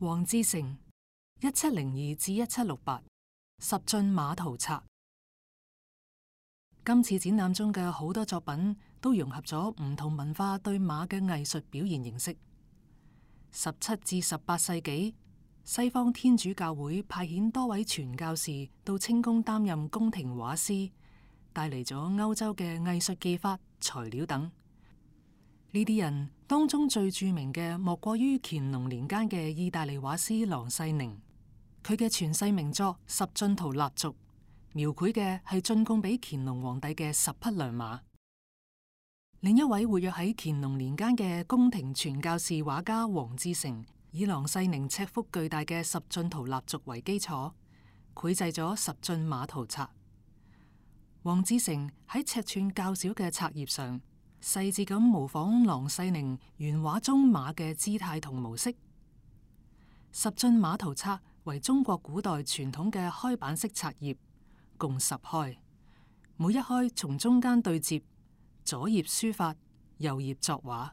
黃志誠1702至1768十進馬圖冊。今次展覽中嘅好多作品都融合咗唔同文化對馬嘅藝術表現形式。17至18世紀，西方天主教會派遣多位傳教士到清宮擔任宮廷畫師，帶嚟咗歐洲嘅藝術技法、材料等。呢啲人當中最著名嘅莫過於乾隆年間嘅意大利畫師郎世寧，佢嘅傳世名作《十進圖蠟燭》描繪嘅係進貢俾乾隆皇帝嘅10匹良馬。另一位活躍喺乾隆年間嘅宮廷傳教士畫家黃志誠，以郎世寧尺幅巨大嘅《十進圖蠟燭》為基礎，繪製咗10進馬圖冊。黃志誠喺尺寸較小嘅冊頁上，細緻咁模仿郎世寧原畫中馬嘅姿態同模式。10進馬圖冊為中國古代傳統嘅開版式冊頁，共10開，每一開從中間對接，左頁書法，右頁作畫。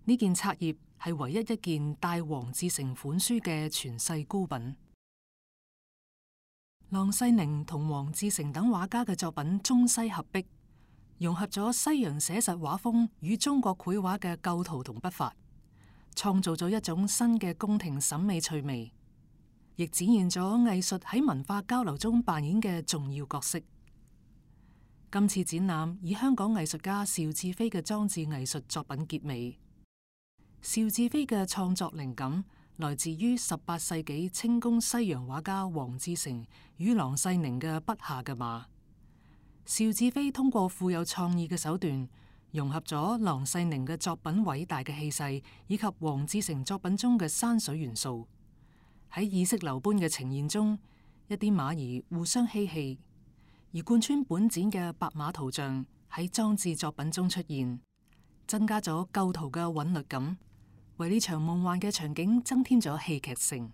呢件冊頁係唯一一件帶黃志誠款書嘅傳世孤品。郎世寧同黃志誠等畫家嘅作品中西合璧，融合咗西洋寫實畫風與中國繪畫嘅構圖同筆法，創造咗一種新嘅宮廷審美趣味，亦展現咗藝術喺文化交流中扮演嘅重要角色。今次展覽以香港藝術家邵志飛嘅裝置藝術作品結尾。邵志飛嘅創作靈感來自於18世紀清宮西洋畫家黃志誠與郎世寧嘅筆下嘅馬。邵志飛通過富有創意嘅手段，融合咗郎世寧嘅作品偉大嘅氣勢，以及黃志誠作品中嘅山水元素，喺意識流般嘅呈現中，一啲馬兒互相嬉戲，而貫穿本展嘅白馬圖像喺裝置作品中出現，增加咗構圖嘅韻律感，為呢場夢幻嘅場景增添咗戲劇性。